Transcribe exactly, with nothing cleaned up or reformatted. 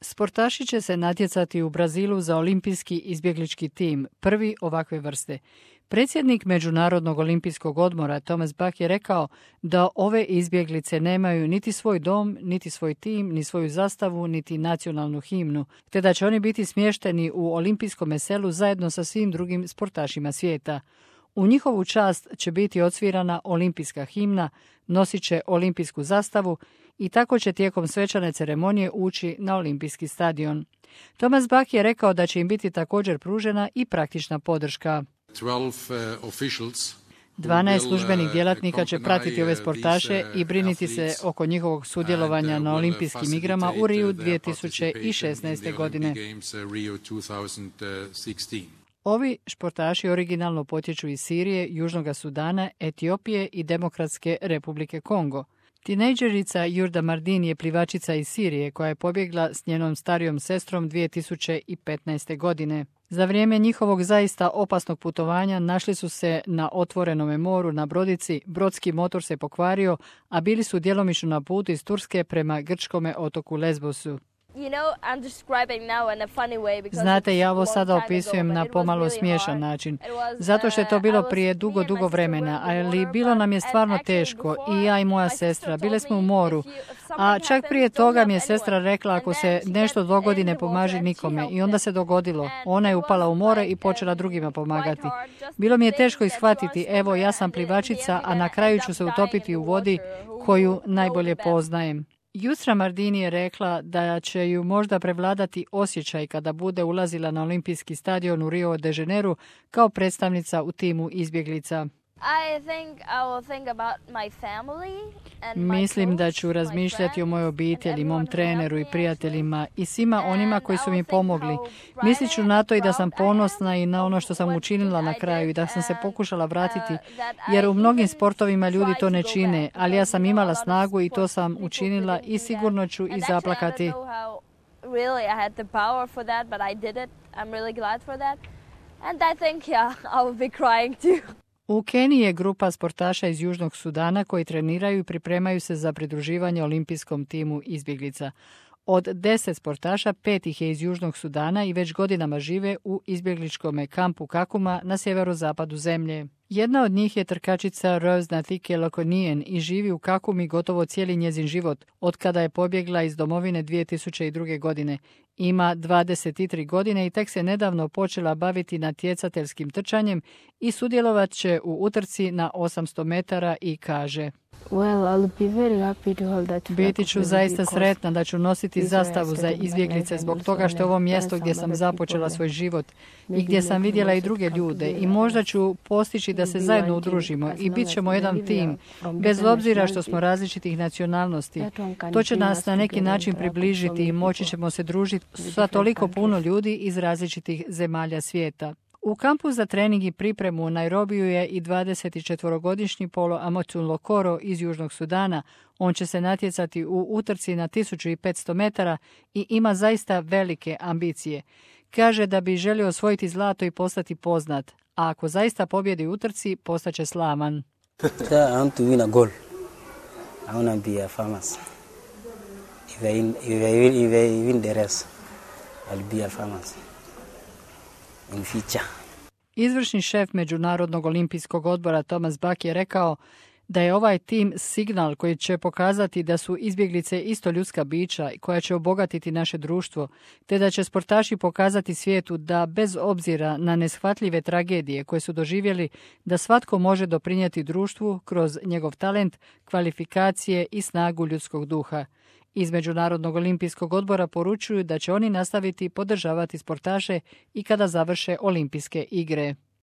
Sportaši će se natjecati u Brazilu za olimpijski izbjeglički tim, prvi ovakve vrste. Predsjednik Međunarodnog olimpijskog odbora Thomas Bach je rekao da ove izbjeglice nemaju niti svoj dom, niti svoj tim, ni svoju zastavu, niti nacionalnu himnu, te da će oni biti smješteni u olimpijskom selu zajedno sa svim drugim sportašima svijeta. U njihovu čast će biti odsvirana olimpijska himna, nosit će olimpijsku zastavu i tako će tijekom svečane ceremonije ući na olimpijski stadion. Thomas Bach je rekao da će im biti također pružena i praktična podrška. Dvanaest službenih djelatnika će pratiti ove sportaše i briniti se oko njihovog sudjelovanja na olimpijskim igrama u Riju dvije tisuće šesnaeste. godine. Ovi športaši originalno potječu iz Sirije, Južnog Sudana, Etiopije i Demokratske Republike Kongo. Tinejdžerica Jurda Mardin je plivačica iz Sirije koja je pobjegla s njenom starijom sestrom dvije tisuće petnaeste. godine. Za vrijeme njihovog zaista opasnog putovanja našli su se na otvorenome moru na brodici, brodski motor se pokvario, a bili su djelomično na putu iz Turske prema grčkome otoku Lesbosu. Znate, ja ovo sada opisujem na pomalo smiješan način, zato što je to bilo prije dugo, dugo vremena, ali bilo nam je stvarno teško, i ja i moja sestra, bile smo u moru, a čak prije toga mi je sestra rekla ako se nešto dogodi ne pomaži nikome, i onda se dogodilo. Ona je upala u more i počela drugima pomagati. Bilo mi je teško ishvatiti, evo ja sam plivačica, a na kraju ću se utopiti u vodi koju najbolje poznajem. Jusra Mardini je rekla da će ju možda prevladati osjećaj kada bude ulazila na olimpijski stadion u Rio de Janeiro kao predstavnica u timu izbjeglica. Mislim da ću razmišljati o mojoj obitelji, mom treneru i prijateljima i svima onima koji su mi pomogli. Mislit ću na to i da sam ponosna i na ono što sam učinila na kraju i da sam se pokušala vratiti, jer u mnogim sportovima ljudi to ne čine, ali ja sam imala snagu i to sam učinila i sigurno ću i zaplakati. U Keniji je grupa sportaša iz Južnog Sudana koji treniraju i pripremaju se za pridruživanje olimpijskom timu izbjeglica. Od deset sportaša, pet ih je iz Južnog Sudana i već godinama žive u izbjegličkom kampu Kakuma na sjeverozapadu zemlje. Jedna od njih je trkačica Rose Nathike Lokonijen i živi u Kakumi gotovo cijeli njezin život, od kada je pobjegla iz domovine dvije tisuće druge. godine. Ima dvadeset tri godine i tek se nedavno počela baviti natjecateljskim trčanjem i sudjelovat će u utrci na osamsto metara i kaže: Biti ću zaista sretna da ću nositi zastavu za izbjeglice zbog toga što je ovo mjesto gdje sam započela svoj život i gdje sam vidjela i druge ljude i možda ću postići da se zajedno udružimo i bit ćemo jedan tim, bez obzira što smo različitih nacionalnosti. To će nas na neki način približiti i moći ćemo se družiti sa toliko puno ljudi iz različitih zemalja svijeta. U kampu za trening i pripremu u Nairobiju je i dvadesetčetverogodišnji Polo Amosun Lokoro iz Južnog Sudana. On će se natjecati u utrci na tisuću petsto metara i ima zaista velike ambicije. Kaže da bi želio osvojiti zlato i postati poznat, a ako zaista pobjedi u utrci, postaće slavan. I want to win a goal. I want to be a famous. If I, if I, if I win the race, I'll be a famous. In future. Izvršni šef Međunarodnog olimpijskog odbora Thomas Bach je rekao da je ovaj tim signal koji će pokazati da su izbjeglice isto ljudska bića koja će obogatiti naše društvo, te da će sportaši pokazati svijetu da bez obzira na neshvatljive tragedije koje su doživjeli, da svatko može doprinijeti društvu kroz njegov talent, kvalifikacije i snagu ljudskog duha. Iz Međunarodnog olimpijskog odbora poručuju da će oni nastaviti podržavati sportaše i kada završe olimpijske igre.